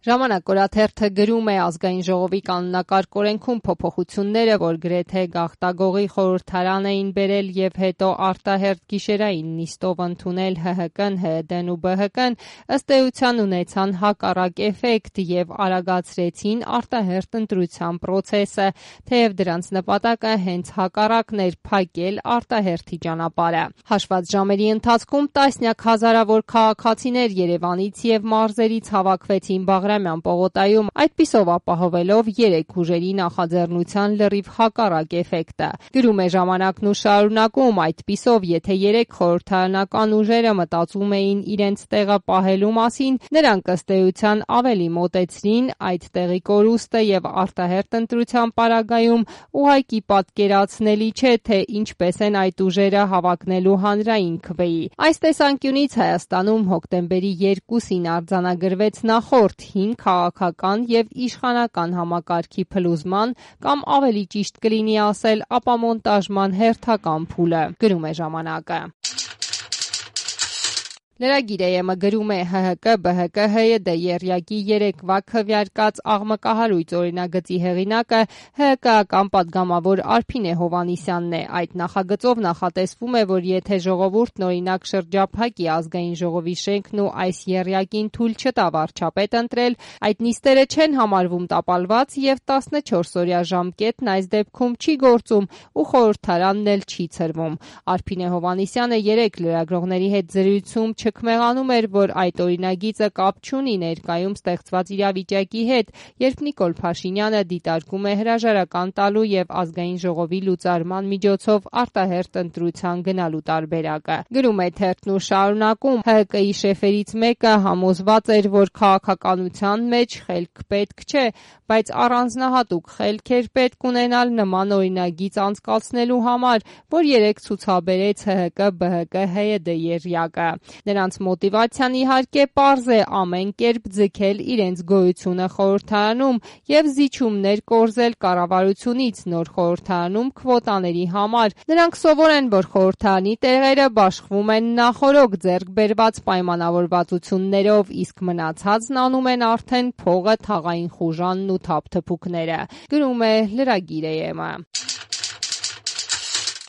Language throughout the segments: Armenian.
Ժամանակ օրաթերթը գրում է ազգային ժողովի կանոնակարգ օրենքում փոփոխությունները, որ գրեթե գաղտագողի խորհրդարան էին բերել եւ հետո արտահերթ գիշերային նիստով ընդունել ՀՀԿ-ն, ՀՅԴ-ն ու ԲՀԿ-ն, ըստ էության ունեցան հակառակ էֆեկտ եւ արագացրեցին արտահերթ ընտրության process-ը, թեև դրանց նպատակը հենց հակառակն էր՝ փակել արտահերթի ճանապարհը։ Հաշված ժամերի ընթացքում տասնյակ հազարավոր քաղաքացիներ Երևանից եւ մարզերից հավաքվեցին Բաղրամյան պողոտայում, այդպիսով ապահովելով երեք ուժերի նախաձեռնության լրիվ հակառակ էֆեկտը։ Գրում է Ժամանակն ու շարունակում, այդպիսով եթե երեք խորհրդարանական ուժերը մտածում էին իրենց տեղը պահելու մասին, նրանք ըստ էության ավելի մոտեցրին այդ տեղի կորուստը եւ արտահերթ ընտրության պարագայում ուղղակի պատկերացնելի չէ, թե ինչպես են այդ ուժերը հավակնելու հանրային քվեի։ Այս տեսանկյունից Հայաստանում հոկտեմբերի 2-ին արձանագրվեց նախորդ հին քաղաքական եւ իշխանական համակարգի փլուզման կամ ավելի ճիշտ կլինի ասել ապամոնտաժման հերթական փուլը, գրում է Ժամանակը։ Լրագիր.am գրում է ՀՀԿ, ԲՀԿ, ՀՅԴ եռյակի երեկվա քվեարկած աղմկահարույց օրինագծի հեղինակը ՀՀԿ-ական պատգամավոր Արփինե Հովհաննիսյանն է։ Այդ նախագծով նախատեսվում է, որ եթե ժողովուրդն օրինակ շրջափակի ազգային ժողովի շենքն ու այս եռյակին թույլ չտա վարչապետ ընտրել, այդ նիստերը չեն համարվում տապալված եւ 14-օրյա ժամկետն այս դեպքում չի գործում ու խորհրդարանն էլ չի ցրվում։ Արփինե Հովհաննիսյանը երեք լրագրողների հետ զրույցում չքմեղանում էր, որ այդ օրինագիծը կապ չունի ներկայում ստեղծված իրավիճակի հետ, երբ Նիկոլ Փաշինյանը դիտարկում է հրաժարական տալու եւ ազգային ժողովի լուծարման միջոցով արտահերթ ընտրության գնալու տարբերակը։ Գրում է թերթն ու շարունակում, ՀՀԿ-ի շեֆերից մեկը համոզված էր, որ քաղաքականության մեջ խելք պետք չէ, բայց առանձնահատուկ խելք էր պետք ունենալ նման օրինագիծ անցկացնելու համար, որ երեք ցուցաբերեց ՀՀԿ, ԲՀԿ, ՀՅԴ եռյակը։ Նրանց մոտիվացիան իհարկե պարզ է՝ ամեն կերպ ձգել իրենց գոյությունը խորհրդարանում եւ զիջումներ կորզել կառավարությունից նոր խորհրդարանում քվոտաների համար։ Նրանք սովոր են, որ խորհրդարանի տեղերը բաշխվում են նախօրոք ձեռք բերված պայմանավորվածություններով, իսկ մնացածն անում են արդեն փողը, թաղային խուժանն ու թափթփուկները, գրում է Լրագիր.am-ը։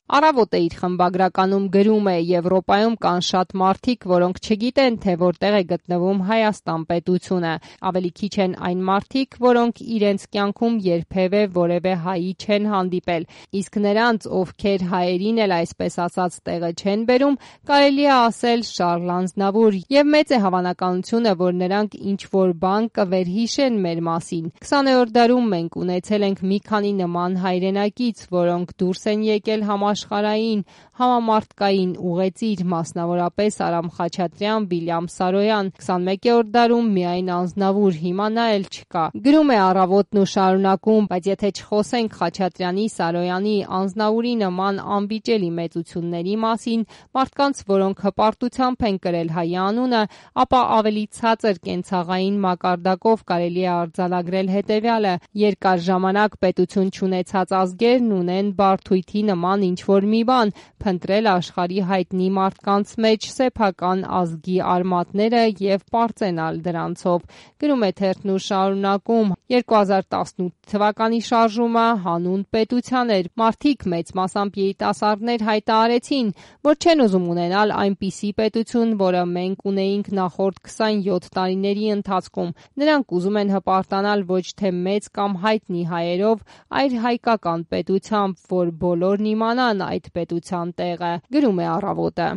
Առավոտը իր խմբագրականում գրում է. Եվրոպայում կան շատ մարդիկ, որոնք չգիտեն, թե որտեղ է գտնվում Հայաստան պետությունը։ Ավելի քիչ են այն մարդիկ, որոնք իրենց կյանքում երբևէ որևէ հայի չեն հանդիպել, իսկ նրանց, ովքեր հայերին էլ այսպես ասած տեղը չեն բերում, կարելի է ասել Շարլ Ազնավուր, եւ մեծ է հավանականությունը, որ նրանք ինչ-որ բան կվերհիշեն մեր մասին։ 20-րդ դարում մենք ունեցել ենք մի քանի նման հայրենակից, որոնք դուրս են եկել համաշխարհային, համամարտկային ուղեծիր, մասնավորապես Արամ Խաչատրյան, Վիլյամ Սարոյան, 21-րդ դարում միայն Ազնավուր, հիմա նա էլ չկա։ Գրում է Առավոտն ու շարունակում, բայց եթե չխոսենք Խաչատրյանի, Սարոյանի, Ազնավուրի նման անվիճելի մեծությունների մասին, մարդկանց, որոնք հպարտությամբ են կրել հայ անունը, ապա ավելի ցածր կենցաղային մակարդակով կարելի է արձանագրել հետևյալը. երկար ժամանակ պետություն չունեցած ազգերն ունեն բարդույթի նման ինչ-որ մի բան, փնտրել աշխարհի հայտնի մարդկանց մեջ սեփական ազգի արմատները եւ պարծենալ դրանցով։ Գրում է թերթն ու շարունակում, 2018 թվականի շարժումը հանուն պետության էր։ Մարդիկ, մեծ մասամբ երիտասարդներ, հայտարարեցին, որ չեն ուզում ունենալ այնպիսի պետություն, որը մենք ունեինք նախորդ 27 տարիների ընթացքում։ Նրանք ուզում են հպարտանալ ոչ թե մեծ կամ հայտնի հայերով, այլ հայկական պետությամբ, որ բոլորն իմանան այդ պետության տեղը, գրում է Առավոտը։